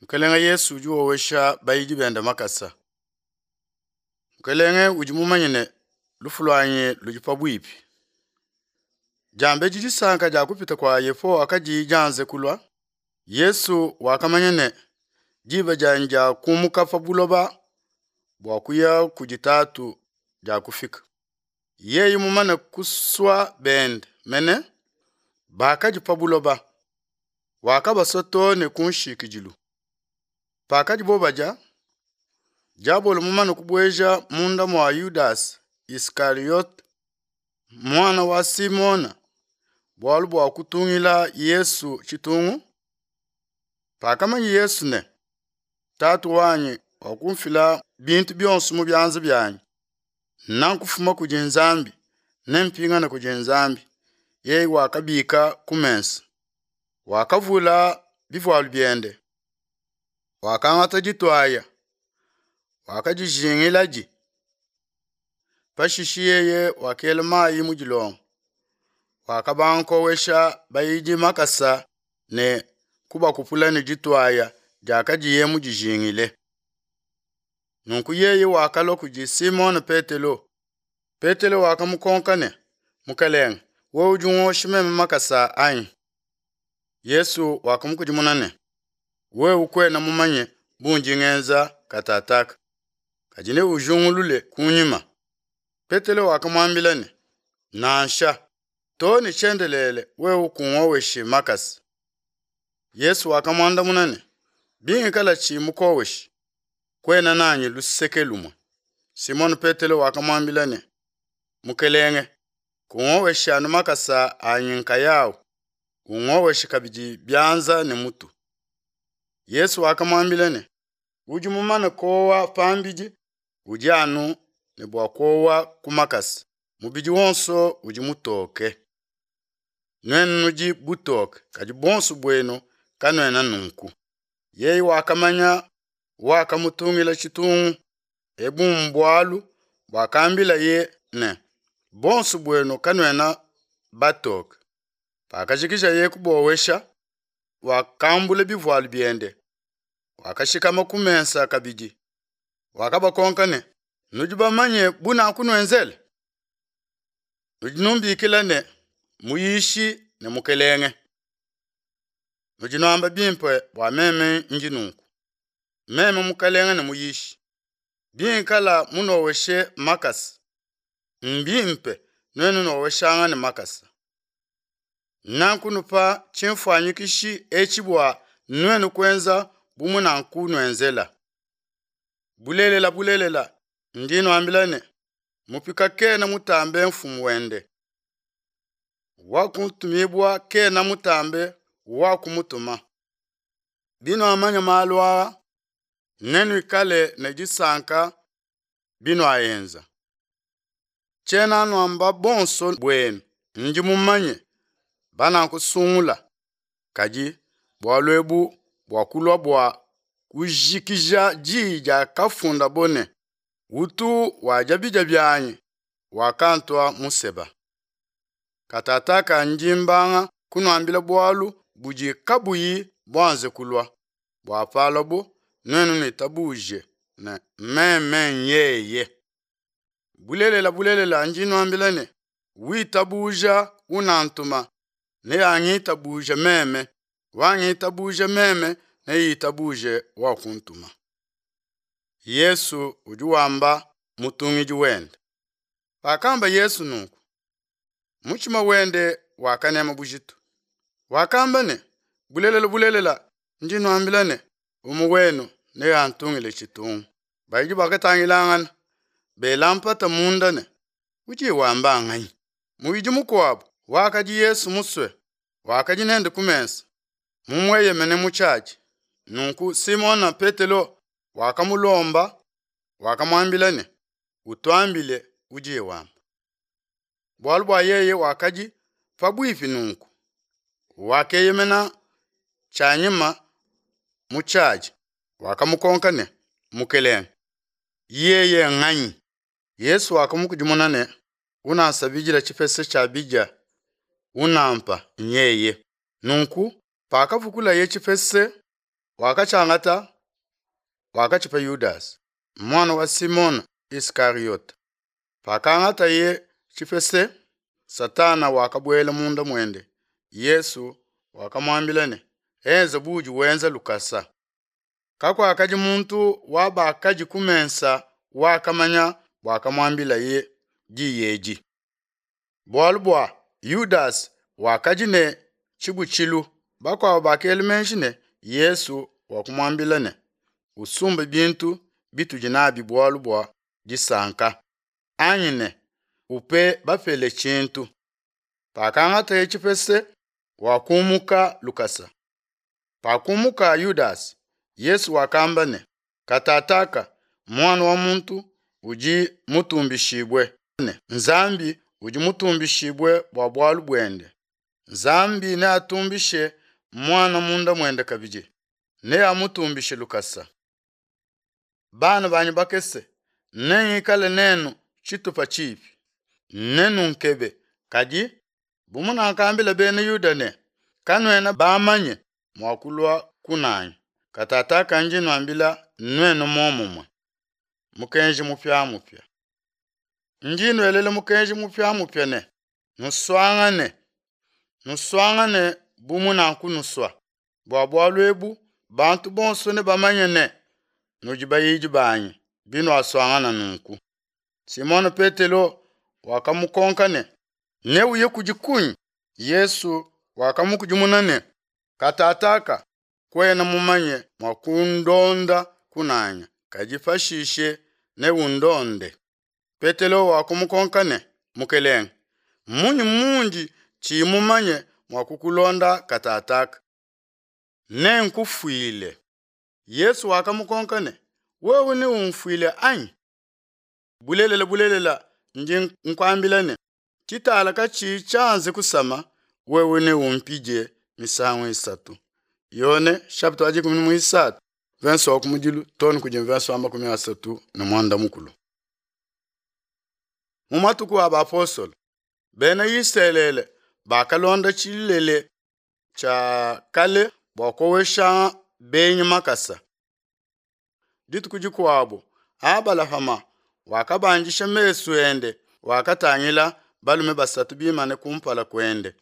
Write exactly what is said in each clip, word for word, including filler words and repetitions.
Mukelenge Yesu udi wowesha bayidi bende makasa. Mukelenge udi mumanye ne lufu luanyi ludi pabuipi. Diambedi disanka dia kupita kua Yehowa kadiyi dianze kulua, Yesu wakamanya ne diba dianyi dia kumuka pa buloba bua kuya kudi Tatu diakufika. Yeye mumane kusua bende mene bakadi pa buloba, wakabasua too ne ku nshikidilu. Pakadibo badia, diabolo mumane kubueja munda mua Yudase Isikariyote muana wa Simona bualu bua kutungila Yesu tshitungu. Pakamanya Yesu ne Tatu wanyi wakumfila bintu bionso mu bianza bianyi, nankufuma kudi Nzambi nempingane kudi Nzambi, yeye wakabika ku mesa, wakavula bivualu biende, wakangata dituaya, wakadijingiladi. Pashishe yeye wakela mayi mu dilongo, wakabanga kowesha bayidi makasa ne kubakupula ne dituaya diakadiye mudijingile. Nunku yeye wakalua kudi Simone Petelo. Petelo wakamukonka ne, Mukelenge, wewe udi ungosha meme makasa anyi? Yesu wakamukudimuna ne, wewe kuena mumanye bundi ngenza katataka, kadi neujingulule kunyima. Petelo wakamuambila ne, nansha, too ne tshiendelele wewe kungoweshi makasa. Yesu wakamuandamuna ne, bingikala tshi mukoweshi, kuena nanyi luseke lumue. Simone Petelo wakamuambila ne, Mukelenge, kungoweshi anu makasa anyi nkayawu, ungoweshe kabidi bianza ne mutu. Yesu wakamuambila ne, udi mumane kowa pambidi, udi anu ne bua kuowa ku makasa, mubidi wonso udi mutoke. Nuenu nudi butoke, kadi bonso buenu kanuena nunku. Yeye wakamanya wakamutungila tshitungu, ebu mbualu buakambilaye ne, bonso buenu kanuena batoke. Pakajikija kubowesha, wakambula bivualu biende, wakashikama ku mesa kabidi. Wakabakonka ne, nudi bamanye bunakunuenzela? Nudi numbikila ne, Muyishi ne Mukelenge. Nudi nuamba bimpe bua meme ndi nunku. Meme Mukelenge ne Muyishi, bingikala munoweshe makasa, mbimpe nuenu noweshangane makasa. Nankunupa tshimfuanyikishi etshi bua nuenu kuenza bu munankunuenzela. Bulelela bulelela ndi nuambila ne, mupika kena mutambe mfumu wende, wakuntumibua kena mutambe wakumutuma. Binuamanya malu aa, nenuikale ne disanka binuaenza. Tshiena nuamba bonso buenu, ndi mumanye banankusungula, kadi bualu ebu buakulua bua kujikija diyi diakafundabo ne, utu wadia bidia bianyi wakantua museba. Katataka ndi mbanga kunuambila bualu budi kabuyi buanze kulua, bua paluabo nuenu nuitabuje ne meme nyeye. Bulelela bulelela ndi nuambila ne, witabuja unantuma neangitabuje meme, wangitabuja meme neitabuje wakuntuma. Yesu udi wamba mutungidi wende. Pakamba Yesu nunku, mutshima wende wakanema bujitu. Wakamba ne, bulelela bulelela ndi nuambila ne, umue wenu neantungile tshitungu. Bayidi bakatangilangana bela mpata munda ne, udi wamba nganyi? Muyidi mukuabu wakadi Yesu musue, wakadi nende ku mesa, mumueyemene mu tshiadi. Nunku Simona Petelo wakamulomba, wakamuambila ne, utuambile udiye wamba. Bualu bua yeye wakadi pabuipi nunku, wakeyemena tshianyima mu tshiadi, wakamukonka ne, Mukelenge, yeye nganyi? Yesu wakamukudimuna ne, unansabidila tshipese tshia bidia, unampa nyeye. Nunku pakavukulaye tshipese, Wakatshiangata, wakatshipa Yudase, muana wa Simona Iskariota. Pakangataye tshipese, Satana wakabuela munda muende. Yesu wakamuambila ne, Enza buudi wenza lukasa. Kakuakadi muntu wa bakadi ku mesa wakamanya buakamuambilaye diyi edi. Bualu bua Yudase wakadi ne tshibutshilu, bakuabo bakela meji ne, Yesu wakumuambila ne, Usumbe bintu bitudi nabi bualu bua disanka, anyi ne, Upe bapele tshintu. Pakangataye tshipese, wakumuka lukasa. Pakumuka Yudase, Yesu wakamba ne, Katataka Muana wa muntu udi mutumbishibue, ne Nzambi udi mutumbishibue bua bualu buende. Nzambi neatumbishe Muana munda muende kabidi, neamutumbishe lukasa. Bana banyi bakese, nengikale nenu tshitupa tshipi. Nenunkebe, kadi bu munakambila Bena Yuda ne, Kanuena bamanye mua kulua kunanyi, katataka ndi nuambila nuenu muomumue. Mukenji mupiamupia. Ndi nuelela mukenji mupiamupia ne, nusuangane, nusuangane bu munankunusua. Bua bualu ebu bantu bonso nebamanye ne, nudi bayidi banyi, binuasuangana nunku. Simone Petelo wakamukonka ne, Neuye kudi kunyi? Yesu wakamukudimuna ne, Katataka kuena mumanye mua kundonda kunanya, kadi pashishe neundonde. Petelo wakumukonka ne, Mukelenge, munyi mundi tshiyi mumanye mua kukulonda katataka? Nenkufuile. Yesu wakamukonka ne, Wewe neumfuile anyi? Bulelela, bulelela, ndi nkuambila ne, tshitala katshiyi tshianze kusama, wewe neumpidie misangu isatu. Yone chapitre wa dikumi ne muisatu verse wa kumudilu too ne kudi verse wa makumi asatu ne muanda mukulu. Mu matuku a bapostolo, bena Isalele bakalonda tshilele tshia kale bua kowesha benyi makasa. Dituku dikuabu, Abalahama wakabandisha mesu ende, wakatangila balume basatu bimane kumpala kuende.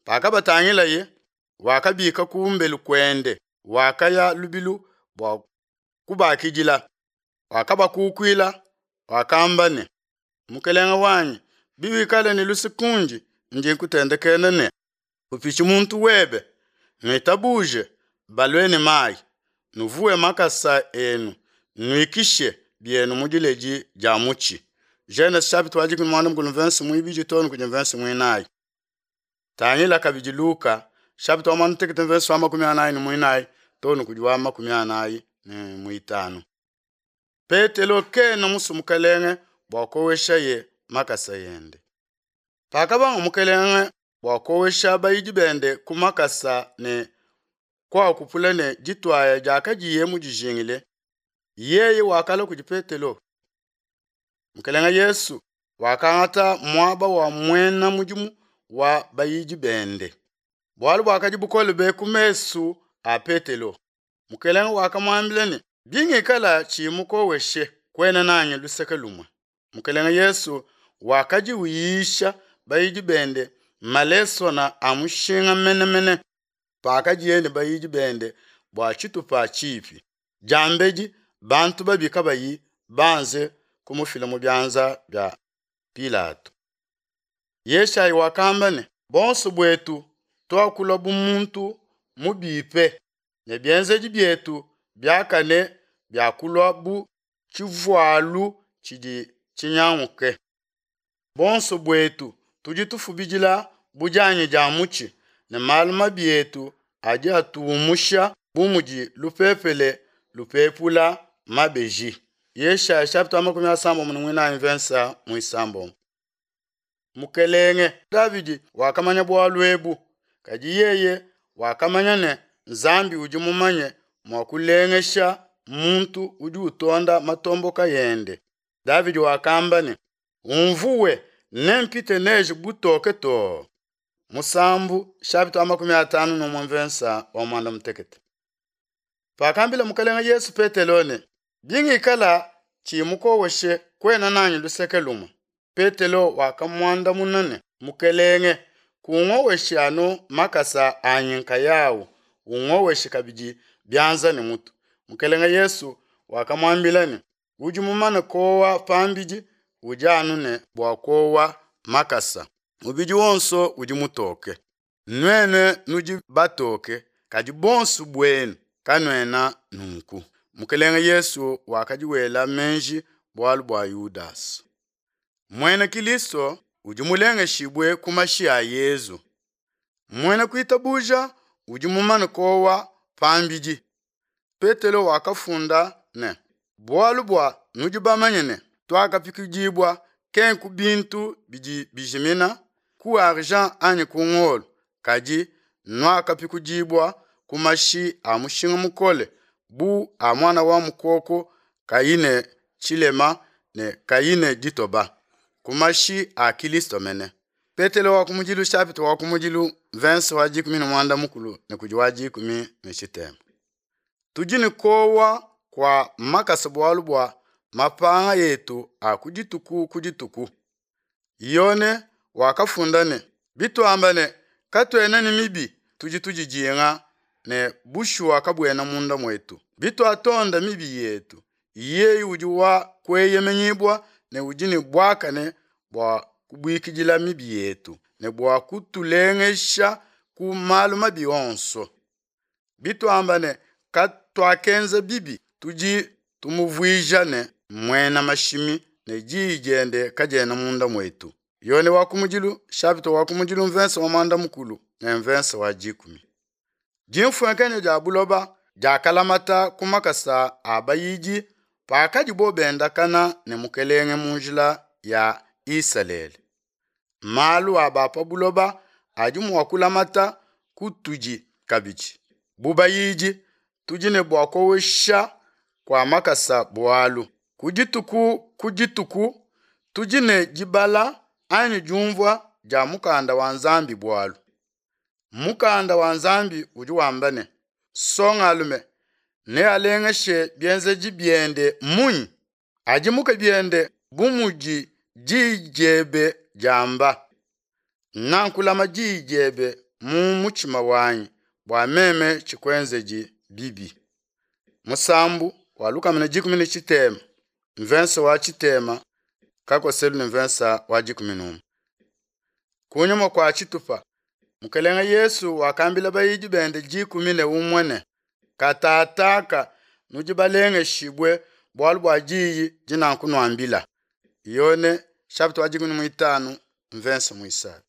Pakabatangilaye, wakabika kumbelu kuende, wakaya lubilu bua kubakidila, wakabakukuila, wakamba ne, Mukelenge wanyi, biwikale ne luse kundi, ndi nkutendekena ne, kupitshi muntu webe, nuitabuje balue ne mayi, nuvuwe makasa enu, nuikishe bienu mu diledi dia mutshi. Genese chapitre wa dikumi muanda mukulu verse muibidi too ne kudi verse muinayi. Tangila kabidi Luka chapitre wa muanda mutekete verse wa makumi anayi ne muinayi too ne kudi wa makumi anayi ne muitanu. Petelo kena musue mukelenge bua koweshaye makasa ende. Pakabanga mukelenge bua kowesha bayidi bende ku makasa ne kuakupula ne dituaya diakadiye mudijingile, yeye wakalua kudi Petelo. Mukelenge Yesu wakangata muaba wa muena mudimu wa bayidi bende. Bualu buakadi bukole be ku mesu a Petelo. Mukelenge wakamuambila ne, bingikala tshiyi mukoweshe, kuena nanyi luseke lumue. Mukelenge Yesu wakadi uyisha bayidi bende malesona a mushinga menemene pakadiye ne bayidi bende bua tshitupa tshipi. Diambedi bantu babi kabayi banze kumufila mu bianza bia Pilato. Yeshayi wakamba ne, bonso buetu tuakula bu muntu mubipe, ne bienzedi bietu biakane biakulua bu tshivualu tshidi tshinyanguke. Bonso buetu tudi tufubidila bu dianyi dia mutshi, ne malu mabi etu adi atuumusha bu mudi lupepele lupepula mabeji. Yeshaya chapitre makumi asambombo ne muinayi verse muisambombo. Mukelenge Davidi wakamanya bualu ebu, kadi yeye wakamanya ne Nzambi udi mumanye mua kulengesha muntu udi utonda matomboka ende. Davidi wakamba ne, Unvuwe nempite neje butoke too. Musambu chapitre wa makumi atanu ne umue verse wa muanda mutekete. Pakambila Mukelenge Yesu Petelo ne, Bingikala tshiyi mukoweshe, kuena nanyi luseke lumue. Petelo wakamuandamuna ne, Mukelenge, kungoweshi anu makasa anyi nkayawu, ungoweshe kabidi bianza ne mutu. Mukelenge Yesu wakamuambila ne, Udi mumane kuowa pambidi, udi anu ne bua kuowa makasa. Mubidi wonso udi mutoke. Nuenu nudi batoke, kadi buonso buenu kanuena nunku. Mukelenge Yesu wakadi wela meji bualu bua Yudasa. Muena Kilisto udi mulengeshibue ku mashi a Yesu. Muena kuitabuja udi mumane kuowa pambidi. Petelo wakafunda ne, Bualu bua nudi bamanye ne, Tuakapikudibua, kenku bintu bidi bijimina, ku argent anyi ku ngolo, kadi nuakapikudibua ku mashi a mushinga mukole bu a muana wa mukoko kayi ne tshilema ne kayi ne ditoba, ku mashi a Kilisto mene. Petelo wa kumudilu chapitre wa kumudilu verse wa dikumi ne muanda mukulu ne kudi wa dikumi ne tshitema. Tudi ne kuowa kua makasa bualu bua mapanga etu a ku dituku ku dituku. Yone wakafunda ne, Bituamba ne, Katuena ne mibi, tudi tudidinga ne bushuwa kabuena munda muetu. Bituatonda mibi yetu, yeye udi wa kueyemenyibua ne udi ne buakane bua kubuikidila mibi yetu ne bua kutulengesha ku malu mabi onso. Bituamba ne, Katuakenza bibi, tudi tumuvuija ne muena mashimi ne diyi diende kadiena munda muetu. Yone wa kumudilu chapitre wa kumudilu mvensa wa muanda mukulu ne mvensa wa dikumi. Dimfuenkenya dia buloba diakalamata ku makasa a bayidi pakadibo bendakana ne mukelenge mu njila ya Isalele. Malu a ba pa buloba adi mua kulamata kutudi kabidi. Bu bayidi tudi ne bua kuowesha kua makasa bualu. Ku dituku ku dituku tudi ne dibala anyi diumvua dia mukanda wa Nzambi bualu. Mukanda wa Nzambi udi wamba ne, Nsongalume nealengeshe bienzedi biende munyi? Adimuke biende bu mudi diyi diebe diamba. Nankulama diyi diebe mu mutshima wanyi bua meme tshikuenzedi bibi. Musambu wa lukama ne dikumi ne tshitema mvensa wa tshitema kakoselu ne mvensa wa dikumi n'umue. Kunyima kua tshitupa Mukelenge Yesu wakambila bayidi bende dikumi ne umue ne, Katataka nudi balengeshibue bualu bua diyi dinankunuambila. Yone chapitre wa dikumi ne muitanu mvensa muisatu.